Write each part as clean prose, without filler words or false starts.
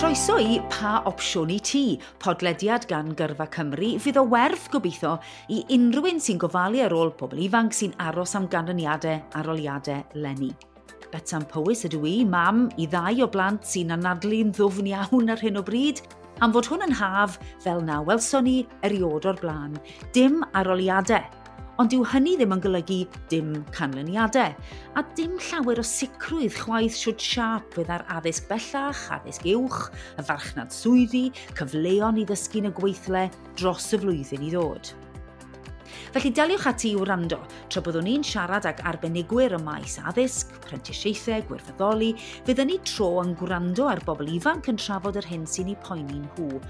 Croeso i Pa Opsiwn i Ti, podlediad gan Gyrfa Cymru, fydd o werth gobeithio i unrhyw un sy'n gofalu ar ôl pobl ifanc sy'n aros am ganlyniadau aroliadau leni. Betsan Powys ydw i, mam i ddau o blant sy'n anadlu'n ddwfn iawn ar hyn o bryd, am fod hwn yn haf fel na welson ni eriod o'r blaen. Dim aroliadau, ond dyw hynny ddim yn golygu dim canlyniadau, a dim llawer o sicrwydd chwaith siwt siâp fydd ar addysg bellach, addysg uwch, y farchnad swyddi, cyfleon i ddysgu yn y gweithle dros y flwyddyn i ddod. Felly daliwch ati i wrando, tra byddwn ni'n siarad ag arbenigwyr ym maes addysg, prentisiaethau, gwirfoddoli, fydd yn ei tro yn gwrando ar bobl ifanc yn trafod yr hyn sy'n eu poeni nhw,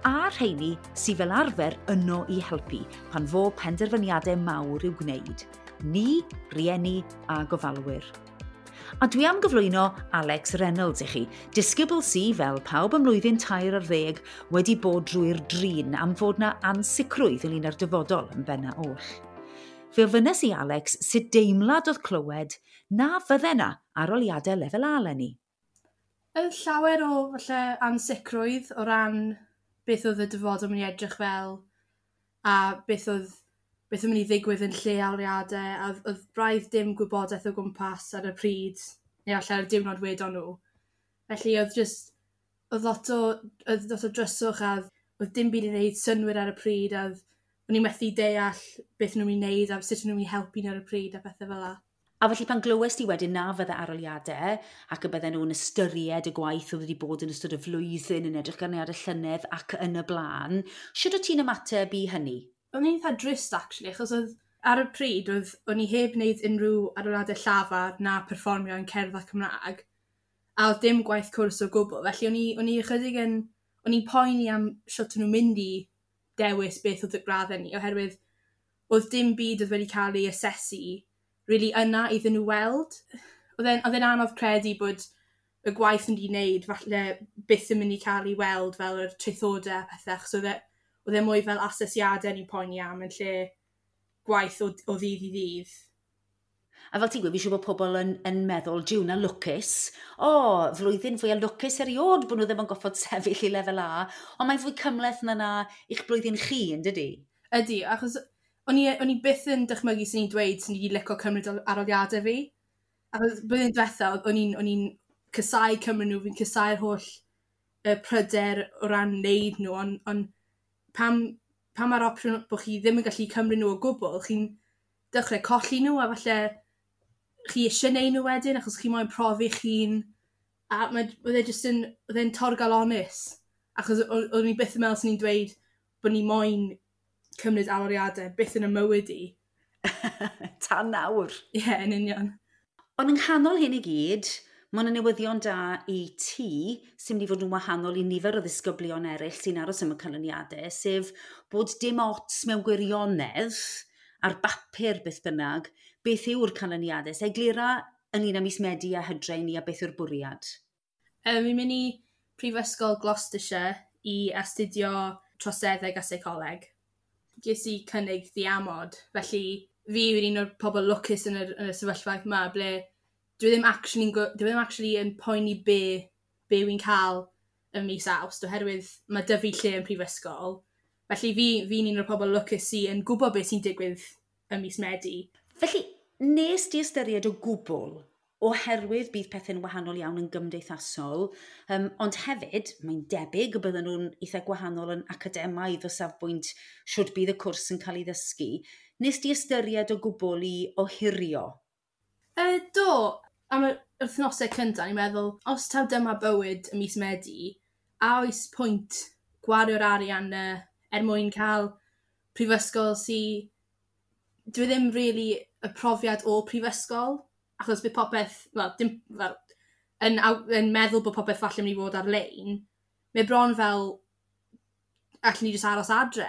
a rheini sydd fel arfer yno i helpu pan fo penderfyniadau mawr i'w gwneud. Ni, rieni a gofalwyr. A dwi am gyflwyno Alex Reynolds i chi, disgybl sy, fel pawb ym mlwyddyn 13, wedi bod drwy'r drin am fod na ansicrwydd ynglyn â'r dyfodol yn benna oll. Fe ofynnes i Alex sut deimlad oedd clywed na fydde na aroliadau lefel A leni. Oedd llawer o falle ansicrwydd o ran beth oedd y dyfodol mynd i edrych fel a beth oedd beth yn mynd i ddigwydd yn lle aroliadau, a oedd braidd dim gwybodaeth o gwmpas ar y pryd, neu falle ar y diwrnod wedon nhw. Felly oedd just, oedd lot o dryswch a oedd dim byd i wneud synnwyr ar y pryd, a o'n i'n methu deall beth nhw'n mynd i wneud a sut nhw'n mynd i helpu ni ar y pryd a pethau fel 'na. A felly pan glywes ti wedyn na fydde aroliadau ac y bydden nhw'n ystyried y gwaith oedd wedi bod yn ystod y flwyddyn yn edrych ar y llynedd ac yn y blaen, sut o't ti'n ymateb i hynny? O'n i'n eitha drist, actually, achos oedd ar y pryd oedd o'n i heb wneud unrhyw aroliadau llafar na perfformio yn cerdd a Cymraeg, a oedd dim gwaith cwrs o gwbl, felly o'n i ychydig yn, o'n i'n poeni am sut o'n nhw'n mynd i dewis beth oedd y graddau ni, oherwydd oedd dim byd oedd wedi cael ei asesu really yna iddyn nhw weld. Oedd e'n anodd credu bod y gwaith yn wedi wneud falle byth yn mynd i cael ei weld fel yr traethodau a pethau, achos oedd e mwy fel asesiadau ni'n poeni am yn lle gwaith o ddydd i ddydd. A fel ti'n gweud, fi siŵr bod pobl yn meddwl, jiw na lwcus. O, flwyddyn fwy lwcus eriod bod nhw ddim yn goffod sefyll i lefel A, ond mae'n fwy cymhleth na na i'ch blwyddyn chi, yn dydy? Ydy, achos o'n i byth yn dychmygu sy'n ni'n dweud sy'n ni wedi licio cymryd aroliadau fi. Achos blwyddyn diwetha, o'n i'n casáu cymryd nhw, fi'n casáu'r holl pryder o ran wneud nhw, ond pam mae'r opsiwn bod chi ddim yn gallu cymryd nhw o gwbl, chi'n dechrau colli nhw a falle chi eisiau neud nhw wedyn achos chi moyn profi chi'n, a mae, oedd e jyst yn, oedd e'n torgalonus, achos o'n i byth yn meddwl sy'n ni'n dweud bod ni moyn cymryd aroliadau byth yn y mywyd i. Tan nawr. Ie, yeah, yn union. Ond yng nghanol hyn i gyd, mae yna newyddion da i ti sy'n mynd i fod yn wahanol i nifer o ddisgyblion eraill sy'n aros am y canlyniadau, sef bod dim ots mewn gwirionedd ar bapur beth bynnag, beth yw'r canlyniadau. So eglura ynglyn â mis Medi a Hydre i ni a beth yw'r bwriad. Fi'n mynd i Prifysgol Gloucestershire i astudio troseddeg a seicoleg. Ges i cynnig diamod, felly fi yw'r un o'r pobl lwcus yn y sefyllfa yma, ble dwi ddim actually yn poeni be wy'n cael ym mis Awst, oherwydd mae 'da fi lle yn prifysgol. Felly fi'n un o'r pobl lwcus sy'n yn gwybod beth sy'n digwydd ym mis Medi. Felly, nes di ystyried o gwbl, oherwydd bydd pethau'n wahanol iawn yn gymdeithasol, ond hefyd, mae'n debyg y bydden nhw'n eitha gwahanol yn academaidd o safbwynt siwt bydd y cwrs yn cael ei ddysgu. Nes di ystyried o gwbl i ohirio? Do, am yr wythnosau cyntaf, ni'n meddwl, os taw dyma bywyd y mis Medi, a oes pwynt gwario'r arian er mwyn cael prifysgol sy. Dwi ddim really y profiad o prifysgol, achos bydd popeth, wel, dim, wel, yn meddwl bod popeth falle mynd i fod ar-lein, mae bron fel allwn ni jyst aros adre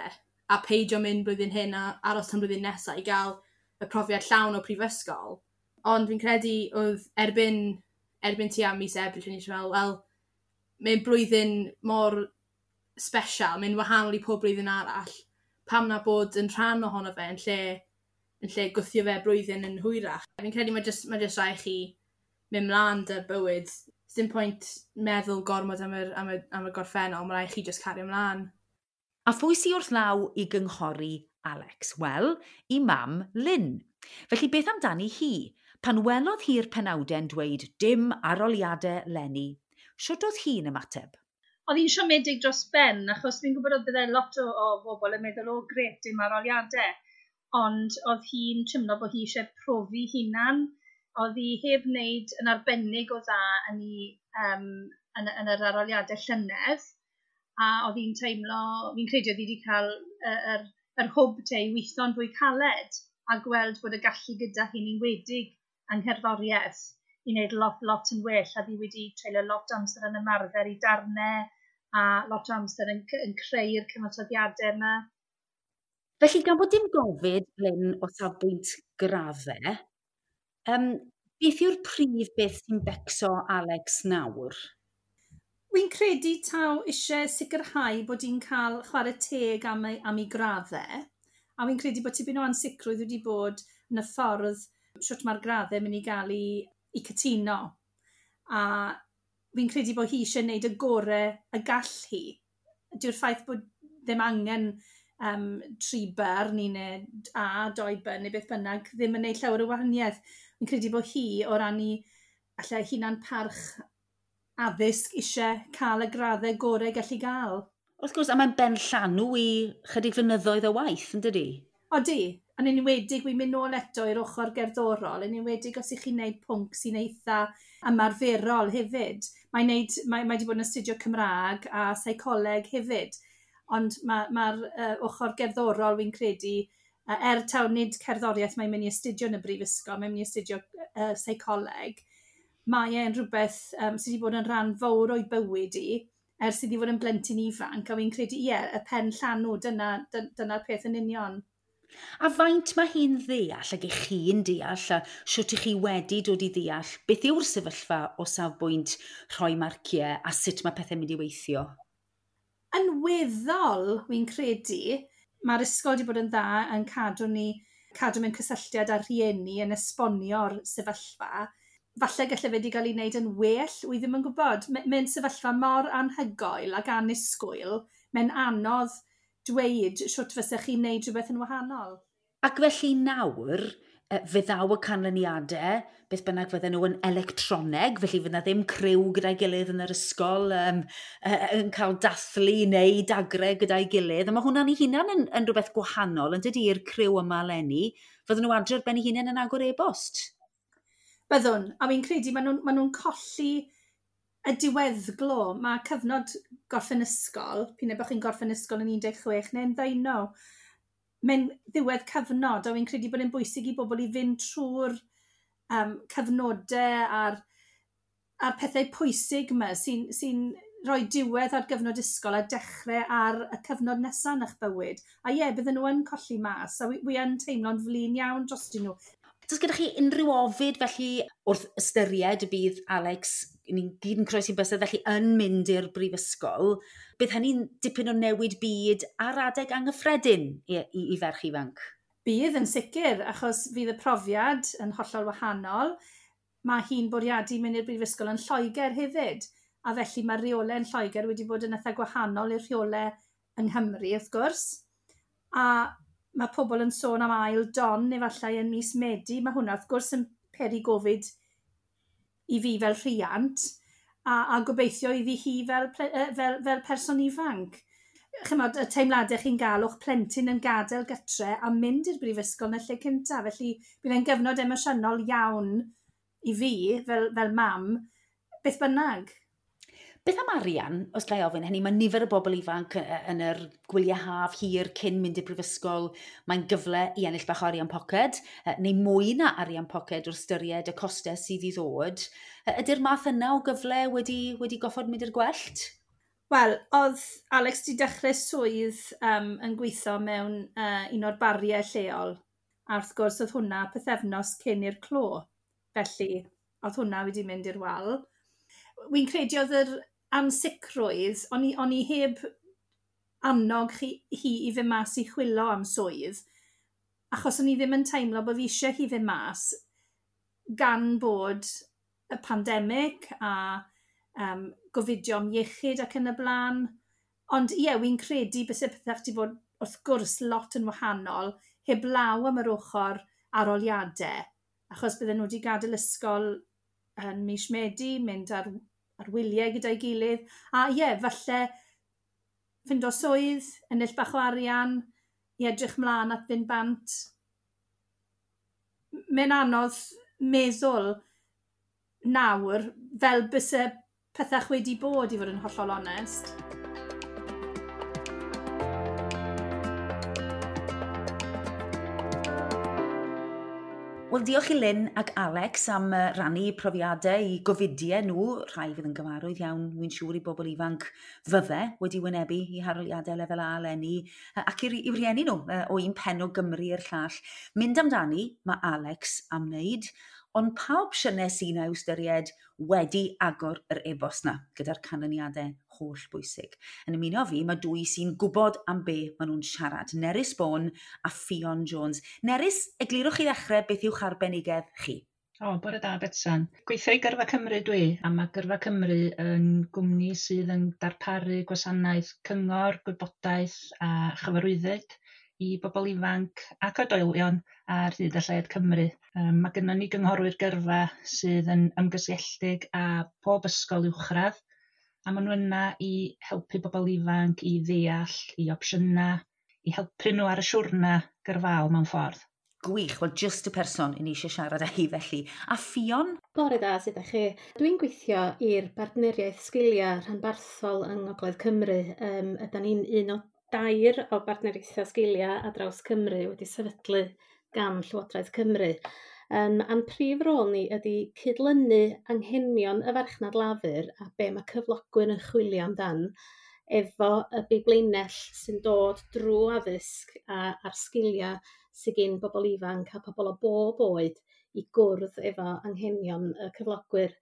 a peidio mynd blwyddyn hyn a aros tan blwyddyn nesaf i gael y profiad llawn o prifysgol. Ond fi'n credu oedd erbyn tua mis Ebrill, o'n i eisiau fel, wel, mae'n blwyddyn mor special, mae'n wahanol i pob blwyddyn arall. Pam na bod yn rhan ohono fe yn lle gwthio fe blwyddyn yn hwyrach? Fi'n credu mae jyst rhaid chi mynd mlaen 'da'r bywyd. Dim pwynt meddwl gormod am y gorffennol, mae rhaid chi just cario ymlaen. A phwy sydd wrth law i gynghori Alex? Wel, i mam Lynn. Felly beth amdani hi? Pan welodd hi'r penawdau'n dweud dim aroliadau leni, siwt oedd hi'n ymateb? Oedd hi'n siomedig dros ben, achos fi'n gwybod oedd byddai lot o bobl yn meddwl, o gret, dim aroliadau. Ond oedd hi'n teimlo bod hi eisiau profi hunan. Oedd hi heb wneud yn arbennig o dda yn yr aroliadau llynedd. A oedd hi'n teimlo, fi'n credu oedd hi wedi cael yr hwb te i weithio'n fwy caled a gweld bod y gallu gyda hi'n enwedig yng ngherddoriaeth i wneud lot, lot yn well. A fi wedi treulio lot o amser yn ymarfer i darnau a lot o amser yn creu'r cyfansoddiadau yma. Felly, gan bod dim gofid, Lynn, o safbwynt graddau, beth yw'r prif beth sy'n becso Alex nawr? Wy'n credu taw eisiau sicrhau bod hi'n cael chwarae teg am ei graddau. A wy'n credu bod tipyn o ansicrwydd wedi bod yn y ffordd shwt mae'r graddau mynd i gael ei cytuno. A fi'n credu bod hi eisiau gwneud y gorau y gall hi. Dyw'r ffaith bod ddim angen 3 B neu A, 2 B neu beth bynnag ddim yn gwneud llawer o wahaniaeth. Fi'n credu bod hi o ran i allai hunan parch addysg eisiau cael y graddau gorau gallu gael. Wrth gwrs, a mae'n ben llanw i chydig flynyddoedd o waith, yn dydi? Odi, yn enwedig, wy'n mynd nôl eto i'r ochr gerddorol, yn enwedig os ych chi'n gwneud pwnc sy'n eitha ymarferol hefyd. Mae wedi bod yn astudio Cymraeg a seicoleg hefyd, ond mae'r ochr gerddorol wy'n credu, taw nid cerddoriaeth mae'n mynd i astudio yn y brifysgol, mae'n mynd i astudio seicoleg, mae e'n rhywbeth sydd wedi bod yn rhan fawr o'i bywyd i, ers iddi fod yn blentyn ifanc, a wy'n credu, ie, y pen llanw, dyna'r peth yn union. A faint mae hi'n ddeall, ac ych chi'n deall, a siwt ych chi wedi dod i ddeall, beth yw'r sefyllfa o safbwynt rhoi marciau a sut mae pethau'n mynd i weithio? Yn weddol, wy'n credu, mae'r ysgol wedi bod yn dda yn cadw mewn cysylltiad â'r rhieni yn esbonio'r sefyllfa. Falle gallai fe wedi cael ei wneud yn well, wy ddim yn gwybod. Mae'n sefyllfa mor anhygoel ac annisgwyl, mae'n anodd dweud shwt fysech chi'n wneud rhywbeth yn wahanol. Ac felly nawr, fe ddaw y canlyniadau, beth bynnag fydden nhw yn electroneg, felly fydda ddim criw gyda'i gilydd yn yr ysgol, yn cael dathlu neu dagre gyda'i gilydd. A mae hwnna'n ei hunan yn rhywbeth gwahanol, yn dydy, i'r criw yma eleni. Fydden nhw adre ar ben eu hunain yn agor e-bost? Byddwn, a fi'n credu maen nhw'n colli y diweddglo. Mae cyfnod gorffen ysgol, p'un ai bod chi'n gorffen ysgol yn 16 neu'n 19, mae'n ddiwedd cyfnod, a fi'n credu bod e'n bwysig i bobl i fynd trwy'r cyfnodau a'r pethau pwysig yma sy'n rhoi diwedd ar gyfnod ysgol a dechrau ar y cyfnod nesaf yn eich bywyd. A ie, bydden nhw yn colli mas, a wi yn teimlo'n flin iawn drostyn nhw. Does gyda chi unrhyw ofid felly wrth ystyried y bydd Alex, ni'n gyd yn croesi'n bysedd, felly yn mynd i'r brifysgol, bydd hynny'n dipyn o newid byd ar adeg anghyffredin i ferch ifanc? Bydd yn sicr, achos fydd y profiad yn hollol wahanol. Mae hi'n bwriadu mynd i'r brifysgol yn Lloegr hefyd, a felly mae'r rheolau yn Lloegr wedi bod yn eitha gwahanol i'r rheolau yng Nghymru, wrth gwrs. A mae pobl yn sôn am ail don efallai yn mis Medi. Mae hwnna wrth gwrs yn peri gofid i fi fel rhiant a gobeithio iddi hi fel person ifanc. Chimod, y teimladau chi'n gael o'ch plentyn yn gadael gytre a mynd i'r brifysgol yn y lle cyntaf. Felly bydd e'n gyfnod emosiynol iawn i fi fel mam, beth bynnag. Beth am arian, os ga i ofyn hynny, mae nifer o bobl ifanc yn yr gwyliau haf hir cyn mynd i'r brifysgol, mae'n gyfle i ennill bach o arian poced, neu mwy na arian poced wrth ystyried y costau sydd i ddod. Ydy'r math yna o gyfle wedi goffod mynd i'r gwellt? Wel, oedd Alex wedi dechrau swydd yn gweithio mewn un o'r bariau lleol, a wrth gwrs oedd hwnna pythefnos cyn i'r clo, felly oedd hwnna wedi mynd i'r wal. Wy'n credu oedd yr ansicrwydd, o'n i heb annog hi i fynd mas i chwilio am swydd, achos o'n i ddim yn teimlo bod fi eisiau hi fynd mas gan bod y pandemig a gofidio am iechyd ac yn y blaen. Ond ie, wy'n credu byse pethau wedi bod wrth gwrs lot yn wahanol, heblaw am yr ochr aroliadau, achos bydden nhw wedi gadael ysgol yn mis Medi, mynd ar wyliau gyda'i gilydd, a ie, falle ffindo swydd, ennill bach o arian, i edrych mlaen at fynd bant. Mae'n anodd meddwl nawr fel byse pethau wedi bod, i fod yn hollol onest. Wel, diolch i Lynn ac Alex am rannu profiadau i gofidiau nhw, rhai fydd yn gyfarwydd iawn, wy'n siŵr i bobl ifanc fydde wedi wynebu i haroliadau lefel A eleni, ac i'w rieni nhw o un pen o Gymru i'r llall. Mynd amdani, mae Alex am wneud, ond pa opsiynau sy'n i'w ystyried wedi agor yr e-bost na, gyda'r canlyniadau holl bwysig. Yn ymuno fi, mae dwy sy'n gwybod am be maen nhw'n siarad, Nerys Bourne a Ffion Jones. Nerys, eglurwch i ddechrau beth yw'ch arbenigedd chi? O, bore da, Betsan. Gweithio i Gyrfa Cymru dwi, a mae Gyrfa Cymru yn gwmni sydd yn darparu gwasanaeth cyngor, gwybodaeth a chyfarwyddyd i bobl ifanc ac oedolion ar hyd a lled Cymru. Mae gennym ni gynghorwyr gyrfa sydd yn ymgysylltig â pob ysgol uwchradd, a maen nhw yna i helpu bobl ifanc i ddeall, i opsiynau, i helpu nhw ar y siwrna gyrfaol mewn ffordd. Gwych, wel just y person i ni eisiau siarad â hi felly. A Ffion? Bore da, sut ydych chi? Dwi'n gweithio i'r Bartneriaeth Sgiliau Rhanbarthol yng Ngogledd Cymru. Ydan ni'n un o dair o bartneriaethau sgiliau ar draws Cymru wedi sefydlu gan Llywodraeth Cymru. A'n prif rôl ni ydy cydlynu anghenion y farchnad lafur a be mae cyflogwyr yn chwilio amdan efo y biblinell sy'n dod drwy addysg a'r sgiliau sydd gen bobl ifanc a pobl o bob oed i gwrdd efo anghenion y cyflogwyr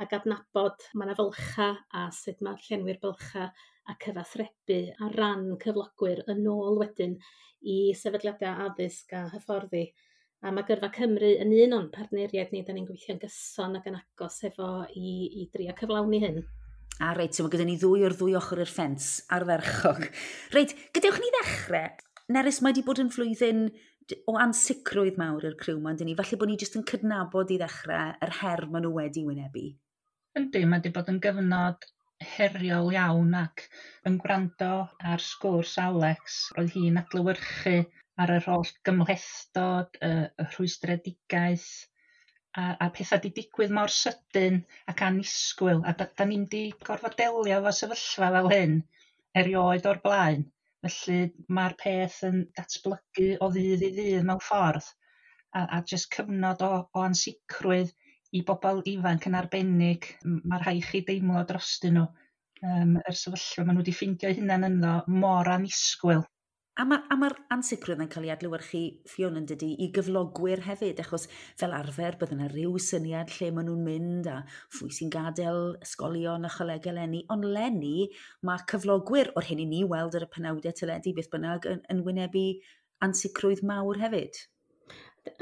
ac adnabod mae yna fylcha a sut mae llenwi'r bylcha a cyfathrebu ar ran cyflogwyr yn ôl wedyn i sefydliadau addysg a hyfforddi. A mae Gyrfa Cymru yn un o'n partneriaid ni, da ni'n gweithio'n gyson ac yn agos efo i drio cyflawni hyn. A reit, so mae gyda ni ddwy o'r ddwy ochr i'r ffens ardderchog. Reit, gadewch ni ddechrau. Nerys, mae wedi bod yn flwyddyn o ansicrwydd mawr i'r criw yma, yndyn ni? Falle bod ni jyst yn cydnabod i ddechrau yr her maen nhw wedi wynebu. Yndi, mae wedi bod yn gyfnod heriol iawn ac yn gwrando ar sgwrs Alex, roedd hi'n adlewyrchu ar yr holl gymhlethdod, y rhwystredigaeth a pethau 'di digwydd mor sydyn ac annisgwyl, a da ni'm 'di gorfod delio efo sefyllfa fel hyn erioed o'r blaen. Felly mae'r peth yn datblygu o ddydd i ddydd mewn ffordd, a jyst cyfnod o ansicrwydd i bobl ifanc yn arbennig. Mae rhaid chi deimlo drostyn nhw yr sefyllfa maen nhw wedi ffeindio eu hunain ynddo mor annisgwyl. A mae'r ansicrwydd yn cael ei adlewyrchu, Ffion, yn dydi, i gyflogwyr hefyd, achos fel arfer bydde yna ryw syniad lle maen nhw'n mynd a phwy sy'n gadael ysgolion a cholegau eleni, ond leni mae cyflogwyr, o'r hyn i ni weld ar y penawdau teledu beth bynnag, yn wynebu ansicrwydd mawr hefyd.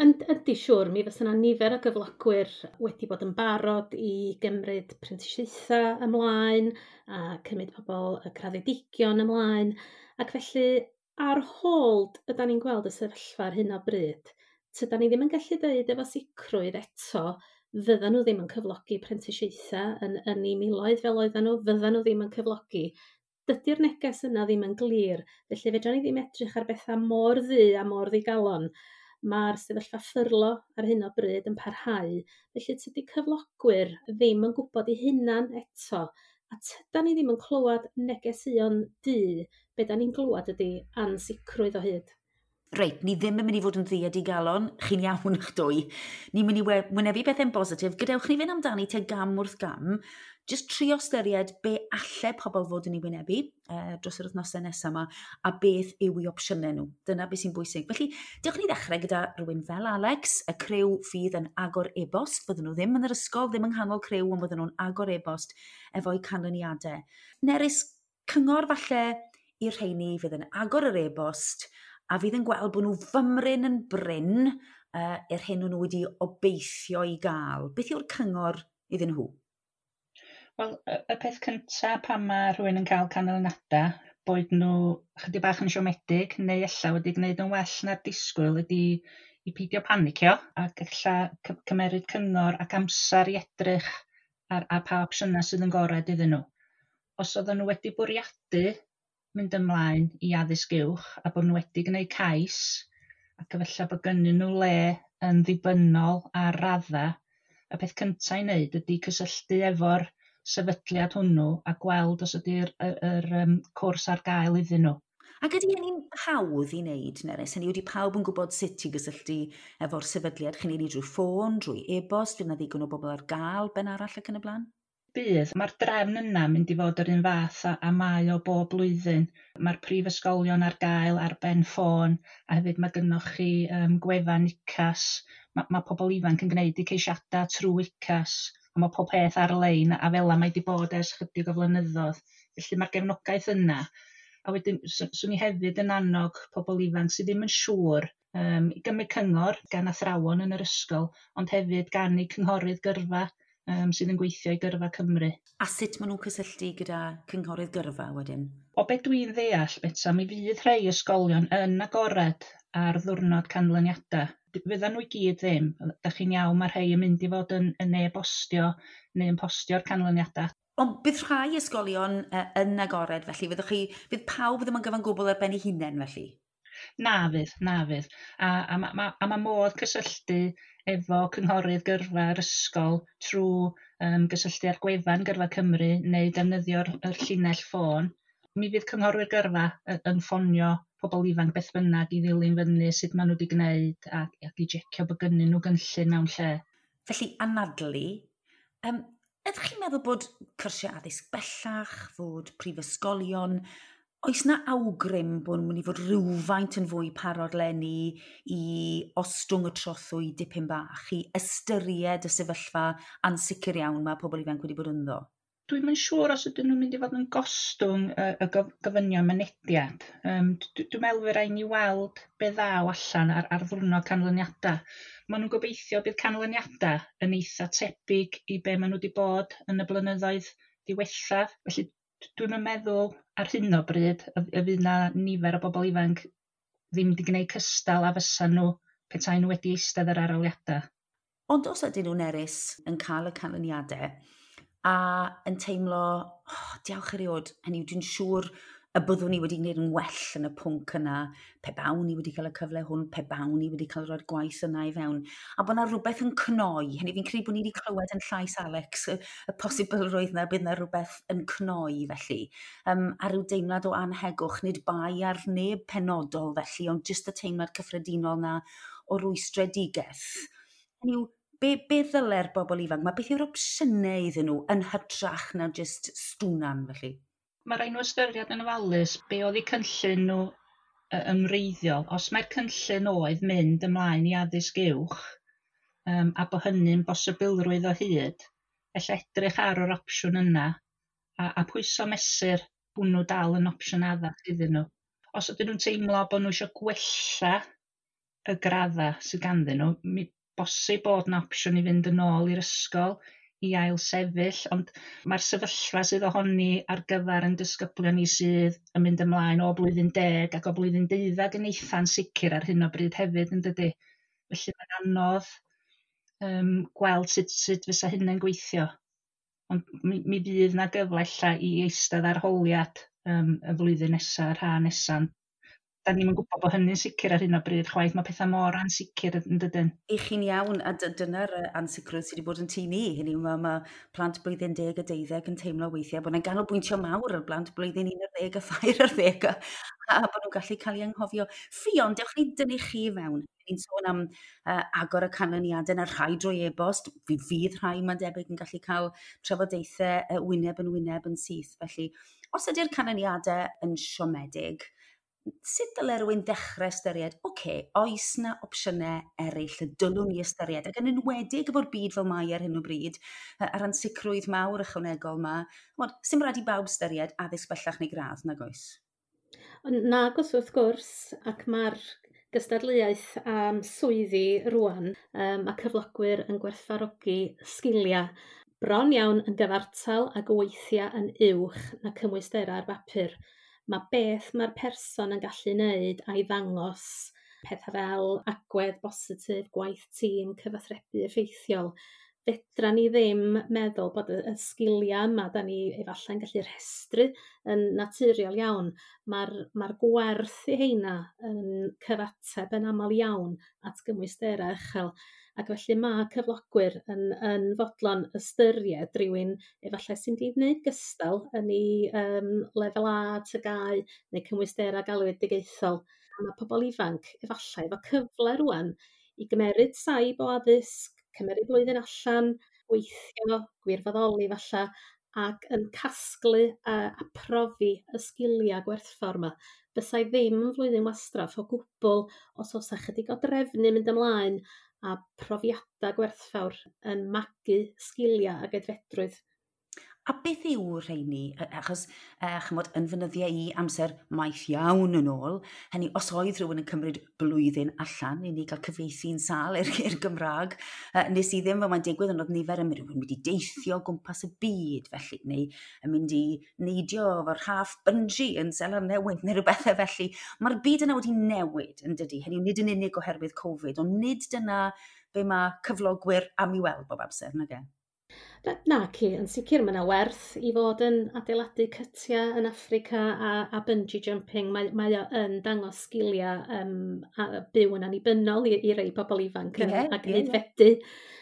Yndi siŵr, mi fysa yna nifer o gyflogwyr wedi bod yn barod i gymryd prentisiaethau ymlaen a cymryd pobl y graddedigion ymlaen, ac felly ar hold ydan ni'n gweld y sefyllfa ar hyn o bryd. Tydan ni ddim yn gallu dweud efo sicrwydd eto fyddan nhw ddim yn cyflogi prentisiaethau yn eu miloedd fel oedden nhw, fyddan nhw ddim yn cyflogi. Dydy'r neges yna ddim yn glir, felly fedran ni ddim edrych ar bethau mor ddu a mor ddigalon. Mae'r sefyllfa ffyrlo ar hyn o bryd yn parhau, felly tydi cyflogwyr ddim yn gwybod eu hunan eto, a tydan ni ddim yn clywed negeseuon du, be da ni'n glywed ydy ansicrwydd o hyd. Reit, ni ddim yn mynd i fod yn ddu a digalon, chi'n iawn eich dwy. Ni'n mynd i wynebu pethau'n bositif, gadewch ni fynd amdani te gam wrth gam, jyst trio ystyried be alle pobl fod yn ei wynebu dros yr wythnosau nesaf yma, a beth yw eu opsiynau nhw. Dyna beth sy'n bwysig. Felly, dewch ni ddechrau gyda rhywun fel Alex, y criw fydd yn agor e-bost. Fydden nhw ddim yn yr ysgol, ddim yng nghanol criw, ond fydden nhw'n agor e-bost efo'u canlyniadau. Nerys, cyngor falle i'r rheini fydd yn agor yr e-bost a fydd yn gweld bod nhw fymryn yn brin i'r hyn o'n nhw wedi obeithio i gael. Beth yw'r cyngor iddyn nhw? Wel, y peth cyntaf pan mae rhywun yn cael canlyniadau, boed nhw chydig bach yn siomedig neu ella wedi gwneud yn well na'r disgwyl, ydy i peidio panicio ac ella cymeryd cyngor ac amser i edrych ar pa opsiynau sydd yn gorau iddyn nhw. Os oedden nhw wedi bwriadu mynd ymlaen i addysg uwch a bod nhw wedi gwneud cais ac efallai bod gynnyn nhw le yn ddibynnol ar radda, y peth cyntaf i wneud ydy cysylltu efo'r sefydliad hwnnw a gweld os ydy'r yr cwrs ar gael iddyn nhw. Ac ydy hynny'n hawdd i wneud, Nerys? Hynny ydy pawb yn gwybod sut i gysylltu efo'r sefydliad? Chi'n ei drwy ffôn, drwy e-bost, fydd 'na ddigon o bobl ar gael ben arall ac yn y blaen? Bydd. Mae'r drefn yna mynd i fod yr un fath a mae o bob blwyddyn. Mae'r prifysgolion ar gael ar ben ffôn a hefyd mae gynnoch chi gwefan UCAS. Mae pobl ifanc yn gwneud eu ceisiadau trwy UCAS a mae pob peth ar-lein a fel mae wedi bod ers chydig o flynyddoedd. Felly mae'r gefnogaeth yna. A wedyn swn i hefyd yn annog pobl ifanc sydd ddim yn siŵr i gymryd cyngor gan athrawon yn yr ysgol, ond hefyd gan eu cynghorydd gyrfa sydd yn gweithio i Gyrfa Cymru. A sut maen nhw'n cysylltu gyda cynghorydd gyrfa wedyn? O be dwi'n ddeall, Betsa, mi fydd rhai ysgolion yn agored ar ddiwrnod canlyniadau. Fyddan nhw i gyd ddim. Da chi'n iawn, mae rhai yn mynd i fod yn e-bostio neu yn postio'r canlyniadau. Ond bydd rhai ysgolion yn agored, felly fydd pawb ddim yn gyfan gwbl ar ben eu hunain, felly? Na fydd. A ma modd cysylltu efo cynghorydd gyrfa'r ysgol trwy gysylltu ar gwefan Gyrfa Cymru neu defnyddio'r llinell ffôn. Mi fydd cynghorwyr gyrfa yn ffonio pobl ifanc beth bynnag i ddilyn fyny sut maen nhw wedi gwneud ac i jecio bod gynnyn nhw gynllun mewn lle. Felly, anadlu, ydych chi'n meddwl bod cyrsiau addysg bellach, fod prifysgolion, oes na awgrym bod nhw'n mynd i fod rhywfaint yn fwy parod leni i ostwng y trothwy dipyn bach, i ystyried y sefyllfa ansicr iawn mae pobl ifanc wedi bod ynddo? Dwi'm yn siŵr os ydyn nhw'n mynd i fod yn gostwng y gofynion mynediad. Dwi'n meddwl fydd rhaid ni weld be ddaw allan ar ddiwrnod canlyniadau. Maen nhw'n gobeithio bydd canlyniadau yn eitha tebyg i be maen nhw wedi bod yn y blynyddoedd diwethaf. Felly dwi'm yn meddwl ar hyn o bryd y fydd 'na nifer o bobl ifanc ddim wedi gwneud cystal a fysa nhw petai nhw wedi eistedd yr arholiadau. Ond os ydyn nhw, Nerys, yn cael y canlyniadau a yn teimlo, oh, diolch erioed, hynny yw, dwi'n siŵr y byddwn ni wedi gwneud yn well yn y pwnc yna, pe bawn ni wedi cael y cyfle hwn, pe bawn ni wedi cael rhoi'r gwaith yna i fewn. A bod yna rhywbeth yn cnoi, hynny fi'n credu bod ni wedi clywed yn llais Alex, y posibilrwydd yna bydd yna rhywbeth yn cnoi felly. A rhyw deimlad o anhegwch, nid bai ar neb penodol felly, ond jyst y teimlad cyffredinol na o rwystredigaeth. Hynny yw, be ddyle'r bobl ifanc? Mae beth yw'r opsiynau iddyn nhw yn hytrach na jyst stwnan felly? Mae rhaid nhw ystyried yn ofalus be oedd eu cynllun nhw ymwreiddiol. Os mae'r cynllun oedd mynd ymlaen i addysg uwch a bod hynny'n bosibilrwydd o hyd, ella edrych ar yr opsiwn yna a pwyso mesur hwnnw dal yn opsiwn addas iddyn nhw. Os ydyn nhw'n teimlo bod nhw eisiau gwella y graddau sydd ganddyn nhw, mi bosib bod yna opsiwn i fynd yn ôl i'r ysgol i ail sefyll, ond mae'r sefyllfa sydd ohoni ar gyfer yn disgyblion ni sydd yn mynd ymlaen o blwyddyn 10 ac o blwyddyn 12 yn eitha'n sicr ar hyn o bryd hefyd, yn dydy. Felly mae'n anodd gweld sut fysa hynny'n gweithio. Ond mi fydd na gyfle ella i eistedd arholiad y flwyddyn nesaf, yr ha nesaf. Da ni'm yn gwybod bod hynny'n sicr ar hyn o bryd chwaith. Mae pethau mor ansicr yn dydyn. I chi'n iawn, a dyna'r ansicrwydd sydd wedi bod yn tŷ ni. Hynny yw, mae plant blwyddyn 10 a 12 yn teimlo weithiau bod yna ganolbwyntio mawr ar blant blwyddyn 11 a 13 a bod nhw'n gallu cael eu anghofio. Ffion, dewch ni dynnu chi fewn. Ni'n sôn am agor y canlyniadau na rhai drwy e-bost. Fydd rhai, mae'n debyg, yn gallu cael trafodaethau wyneb yn wyneb yn syth. Felly, os ydy'r canlyniadau yn siomedig, sut dyle rhywun ddechrau ystyried, oce, oes na opsiynau eraill y dylwn ni ystyried, ac yn enwedig efo'r byd fel mae ar hyn o bryd, a'r ansicrwydd mawr ychwanegol yma, sy'm rhaid i bawb ystyried addysg bellach neu gradd, nag oes? Nag oes wrth gwrs, ac mae'r gystadleuaeth am swyddi rwan, mae cyflogwyr yn gwerthfawrogi sgiliau. Bron iawn yn gyfartal ac weithiau yn uwch na cymwysterau ar bapur. Mae beth mae'r person yn gallu wneud a'i ddangos pethau fel agwedd bositif, gwaith tîm, cyfathrebu effeithiol. Fedra ni ddim meddwl bod y sgiliau yma da ni efallai'n gallu rhestru yn naturiol iawn. Mae'r gwerth i heina yn cyfateb yn aml iawn at gymwysterau uchel. Ac felly mae cyflogwyr yn fodlon ystyried rhywun efallai sy'n wedi gwneud gystal yn ei lefel A, TGAU neu cymwysterau galwedigaethol. A mae pobl ifanc efallai efo cyfle rwan i gymeryd saib o addysg, cymeryd blwyddyn allan, gweithio, gwirfoddoli falla, ac yn casglu a profi y sgiliau gwerthfawr yma. Fysai ddim yn flwyddyn wastraff o gwbl os oes ychydig o drefnu mynd ymlaen a profiadau gwerthfawr yn magu sgiliau ac aeddfedrwydd. A beth yw rheini? Achos, chymod, yn fynyddiau i amser maith iawn yn ôl, hynny, os oedd rhywun yn cymryd blwyddyn allan i ni gael cyfieithu'n sâl i'r Gymraeg, nes i ddim fel mae'n digwydd, ond oedd nifer yn mynd i deithio gwmpas y byd, felly, neu yn mynd i neidio efo'r rhaff bungee yn Seland Newydd, neu rhywbethau felly. Mae'r byd yna wedi newid, yn dydy? Hynny, nid yn unig oherwydd Covid, ond nid dyna be mae cyflogwyr am i weld bob amser, nage? Na, ci, yn sicr mae yna werth i fod yn adeiladu cytiau yn Affrica a bungee jumping. Mae o yn dangos sgiliau a byw yn annibynnol i rei pobl ifanc ac yn aeddfedu.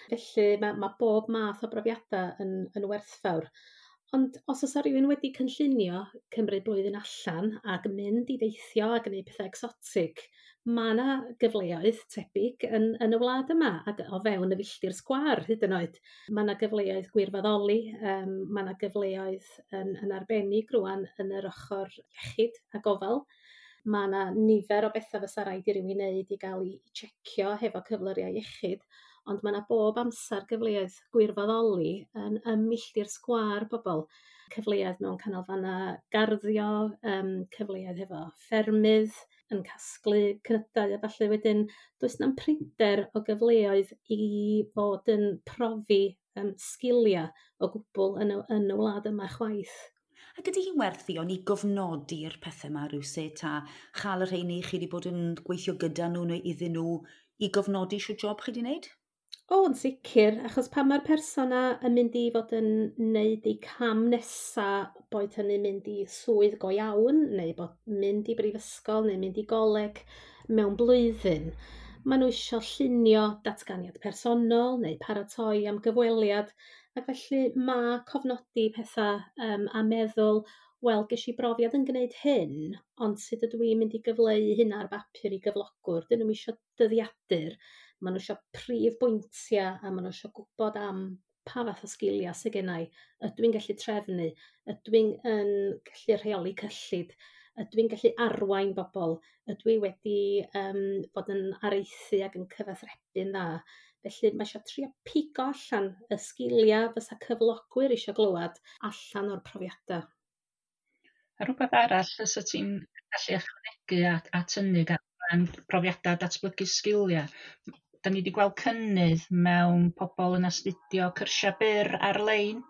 Felly mae bob math o brofiadau yn werthfawr. Ond os oes rhywun wedi cynllunio cymryd blwyddyn allan ac mynd i deithio ac gwneud pethau egsotig, mae yna gyfleoedd tebyg yn y wlad yma ac o fewn y filltir sgwâr hyd yn oed. Mae yna gyfleoedd gwirfoddoli, mae yna gyfleoedd yn arbennig rwan yn yr ochr iechyd a gofal. Mae yna nifer o bethau fysa raid i rywun wneud i gael ei checio hefo cyflyrau iechyd, ond mae yna bob amser gyfleoedd gwirfoddoli yn milltir sgwâr bobl. Cyfleoedd mewn canolfannau garddio, cyfleoedd hefo ffermydd, yn casglu cnydau a falle wedyn. Does na'm prinder o gyfleoedd i fod yn profi sgiliau o gwbl yn y wlad yma chwaith. Ac ydy hi'n werth i o'n i gofnodi'r pethau yma rhywsut a chael y rheini chi wedi bod yn gweithio gyda nhw neu iddyn nhw i gofnodi shwt job chi wedi wneud? O, yn sicr, achos pan mae'r person yn mynd i fod yn neud ei cam nesa, boed hynny mynd i swydd go iawn, neu bod mynd i brifysgol, neu mynd i goleg mewn blwyddyn, maen nhw isio llunio datganiad personol neu paratoi am gyfweliad, ac felly mae cofnodi pethau a meddwl, wel, ges i brofiad yn gwneud hyn, ond sut ydw i'n mynd i gyfleu hynna ar bapur i gyflogwr? Dyn nhw'm isio dyddiadur, maen nhw eisiau prif bwyntiau a maen nhw eisiau gwybod am pa fath o sgiliau sydd gen i. Ydw i'n gallu trefnu? Ydw i'n gallu rheoli cyllid? Ydw i'n gallu arwain bobl? Ydw i wedi bod yn areithu ac yn cyfathrebu'n dda? Felly mae eisiau trio pigo allan y sgiliau fysa cyflogwyr eisiau glywed allan o'r profiadau. A rhywbeth arall fysa ti'n gallu ychwanegu at hynny gan profiadau datblygu sgiliau. Da ni wedi gweld cynnydd mewn pobl yn astudio cyrsiau byr ar-lein.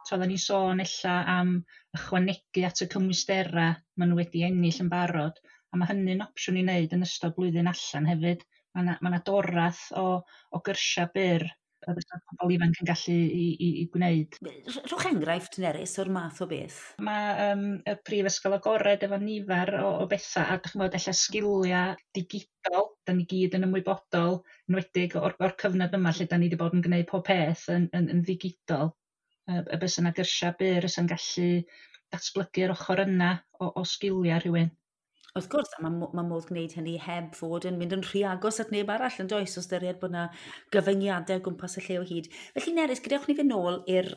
So, oedden ni sôn ella am ychwanegu at y cymwysterau maen nhw wedi ennill yn barod. A mae hynny'n opsiwn i wneud yn ystod blwyddyn allan hefyd. Mae yna dorath o gyrsiau byr a fysa pobl ifanc yn gallu i gwneud. Rhowch enghraifft, Nerys, o'r math o beth. Mae y Prifysgol Agored efo nifer o bethau, a dych chi'n gwybod, ella sgiliau digidol, da ni gyd yn ymwybodol, enwedig o'r cyfnod yma lle da ni wedi bod yn gwneud pob peth yn ddigidol. Y bysa yna gyrsiau byr sy'n gallu datblygu'r ochr yna o sgiliau rhywun. Wrth gwrs, a mae modd gwneud hynny heb fod yn mynd yn rhy agos at neb arall yn does, os ystyried bod yna gyfyngiadau o gwmpas y lle o hyd. Felly Nerys, gadewch ni fynd nôl i'r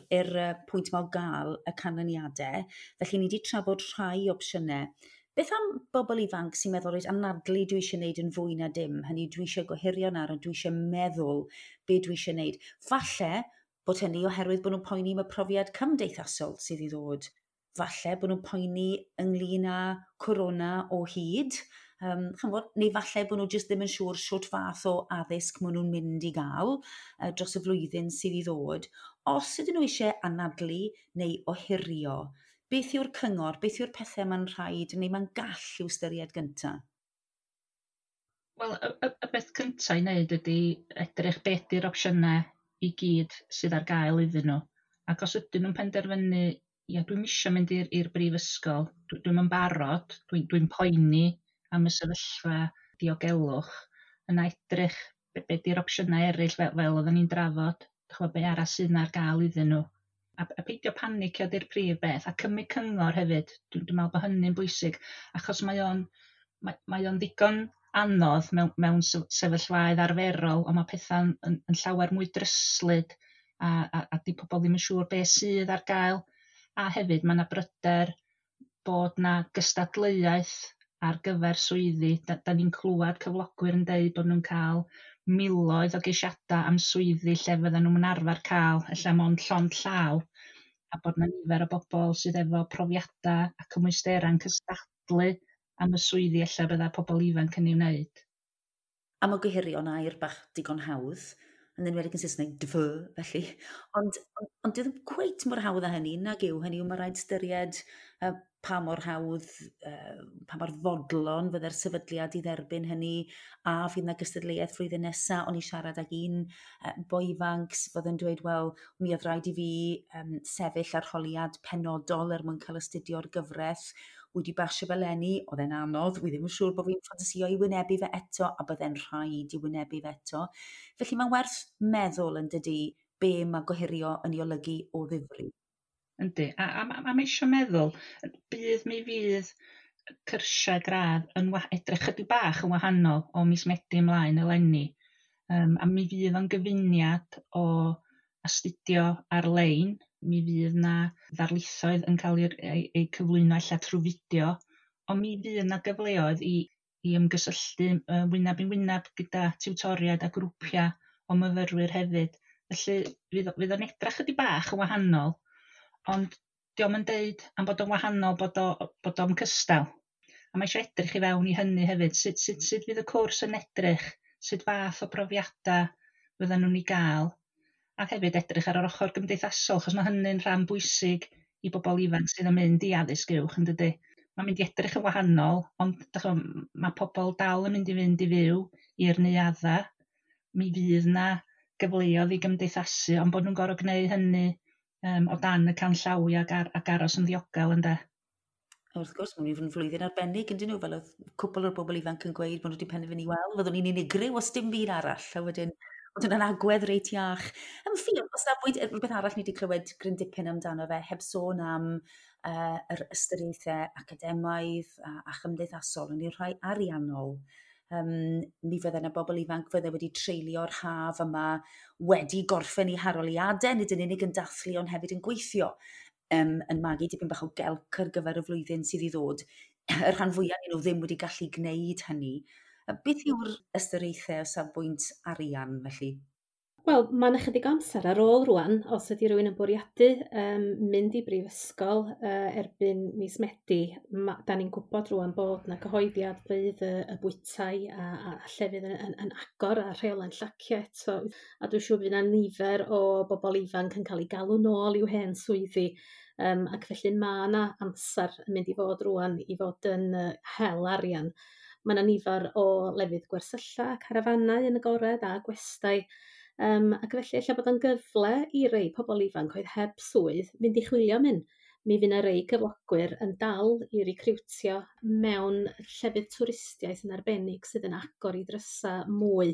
pwynt yma o gael y canlyniadau. Felly ni wedi trafod rhai opsiynau. Beth am bobl ifanc sy'n meddwl, reit, anadlu dwi eisiau gwneud yn fwy na dim, hynny dwi eisiau gohirio nawr, ond dwi eisiau meddwl be dwi eisiau gwneud. Falle bod hynny oherwydd bod nhw'n poeni am y profiad cymdeithasol sydd i ddod. Falle bod nhw'n poeni ynglyn â corona o hyd, chymod, neu falle bod nhw jyst ddim yn siŵr shwt fath o addysg maen nhw'n mynd i gael dros y flwyddyn sydd i ddod. Os ydyn nhw eisiau anadlu neu ohirio, beth yw'r cyngor, beth yw'r pethau mae'n rhaid neu mae'n gall i'w ystyried gyntaf? Wel, y beth cyntaf i wneud ydy edrych beth ydy'r opsiynau i gyd sydd ar gael iddyn nhw. Ac os ydyn nhw'n penderfynu, ia, dwi'm isio mynd i'r brifysgol, dwi'm yn barod, dwi'n poeni am y sefyllfa diogelwch, yna edrych be di'r opsiynau eraill fel oedden ni'n drafod, ch'mo' be arall sydd ar gael iddyn nhw. A peidio panicio 'di'r prif beth, a cymryd cyngor hefyd. Dwi'n meddwl bod hynny'n bwysig, achos mae o'n ddigon anodd mewn sefyllfaoedd arferol, ond mae pethau'n yn llawer mwy dryslyd a di pobl ddim yn siŵr beth sydd ar gael. A hefyd mae yna bryder bod 'na gystadleuaeth ar gyfer swyddi. Da ni'n clywed cyflogwyr yn deud bod nhw'n cael miloedd o geisiadau am swyddi lle fydden nhw'n arfer cael ella mond llond llaw, a bod 'na nifer o bobl sydd efo profiadau a cymwysterau'n cystadlu am y swyddi ella bydda pobl ifanc yn ei wneud. A mae gohirio'n air bach digon hawdd, yn enwedig yn Saesneg, defer, felly. Ond ddim cweit mor hawdd â hynny, nag yw. Hynny yw, mae rhaid ystyried pa mor hawdd, pa mor fodlon fydde'r sefydliad i dderbyn hynny, a fydd yna gystadleuaeth flwyddyn nesaf. O'n i siarad ag un boi ifanc fydd yn dweud, wel, mi oedd rhaid i fi sefyll arholiad penodol er mwyn cael astudio'r gyfraith. Wedi basio fe leni, oedd e'n anodd, wi ddim yn siŵr bod fi'n ffantasïo i wynebu fe eto, a bydde'n rhaid i wynebu fe eto. Felly mae'n werth meddwl yn dydy be mae gohirio yn ei olygu o ddifri. Yndi, a mae eisiau meddwl, mi fydd cyrsiau gradd yn edrych chydig bach yn wahanol o mis Medi ymlaen eleni. A mi fydd o'n gyfuniad o astudio ar-lein, mi fydd na ddarlithoedd yn cael eu cyflwyno ella trwy fideo, ond mi fydd na gyfleoedd i ymgysylltu wyneb yn wyneb gyda tiwtoriaid a grwpiau o myfyrwyr hefyd. Felly fydd o'n edrych chydig bach yn wahanol, ond dio'm yn deud am bod o'n wahanol bod o'n cystal. A mae eisiau edrych i fewn i hynny hefyd. Sut fydd y cwrs yn edrych? Sut fath o brofiadau fyddan nhw'n ei gael? A hefyd edrych ar yr ochr gymdeithasol, achos mae hynny'n rhan bwysig i bobl ifanc sydd yn mynd i addysg uwch, yn dydy? Mae'n mynd i edrych yn wahanol, ond ch'mo', mae pobl dal yn mynd i fynd i fyw i'r neuaddau. Mi fydd na gyfleoedd i gymdeithasu, ond bod nhw'n gorfod gwneud hynny o dan y canllawiau ac aros yn ddiogel, ynde? Wrth gwrs, mae'n mynd i fod yn flwyddyn arbennig, yn dyn nhw, fel oedd cwpl o'r bobl ifanc yn gweud bod nhw wedi penderfynu, wel, fyddwn ni'n unigryw os dim byd arall. A wedyn, oedd hwnna'n agwedd reit iach. Am Ffion, o safbwynt, rhywbeth arall ni wedi clywed gryn dipyn amdano fe, heb sôn am yr ystyriaethau academaidd a chymdeithasol, yn i'r rhai ariannol. Mi fydde yna bobl ifanc fydde wedi treulio'r haf yma wedi gorffen eu harholiadau, nid yn unig yn dathlu ond hefyd yn gweithio, yn magu dipyn bach o gelc ar gyfer y flwyddyn sydd i ddod. Y rhan fwyaf ohonyn nhw ddim wedi gallu gwneud hynny. Beth yw'r ystyriaethau o safbwynt arian felly? Wel, mae yna chydig o amser ar ôl rwan, os ydy rhywun yn bwriadu mynd i brifysgol erbyn mis Medi. Da ni'n gwybod rwan bod na cyhoeddiad fydd y bwytai a llefydd yn agor a rheolau'n llacio eto. A dwi'n siŵr fydd yna nifer o bobl ifanc yn cael eu galw nôl i'w hen swyddi. Ac felly mae yna amser yn mynd i fod rwan i fod yn hel arian. Mae yna nifer o lefydd gwersylla, carafanau yn agored a gwestai. Ac felly ella bod o'n gyfle i rei pobl ifanc oedd heb swydd fynd i chwilio am un. Mi fydd 'na rei cyflogwyr yn dal i recriwtio mewn llefydd twristiaeth yn arbennig sydd yn agor i drysa mwy.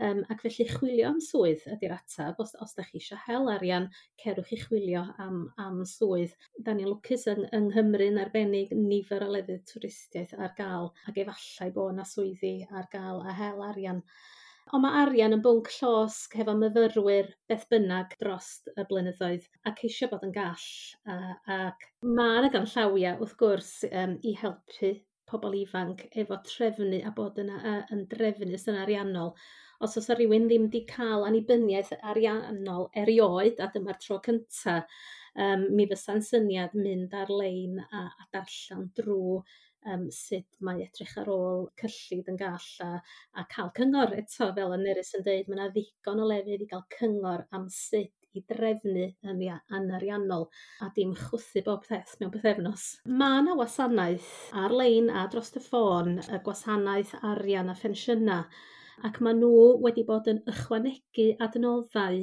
Ac felly chwilio am swydd ydy'r ateb. Os da chi eisiau hel arian, cerwch i chwilio am swydd. Da ni'n lwcus yng Nghymru yn arbennig, nifer o lefydd twristiaeth ar gael, ac efallai bod yna swyddi ar gael a hel arian. Ond mae arian yn bwnc llosg hefo myfyrwyr beth bynnag dros y blynyddoedd, a ceisio bod yn gall. Ac mae yna ganllawiau wrth gwrs i helpu pobl ifanc efo trefnu a bod yn drefnus yn ariannol. Os oes rhywun ddim wedi cael annibyniaeth ariannol erioed, a dyma'r tro cynta, mi fysa'n syniad mynd ar-lein a darllen drwy sut mae edrych ar ôl cyllid yn gall a cael cyngor eto, fel y Nerys yn deud, mae yna ddigon o lefydd i gael cyngor am sut i drefnu yn ariannol a dim chwythu bob peth mewn pythefnos. Mae yna wasanaeth ar-lein a dros y ffôn, y gwasanaeth arian a phensiynau, ac maen nhw wedi bod yn ychwanegu adnoddau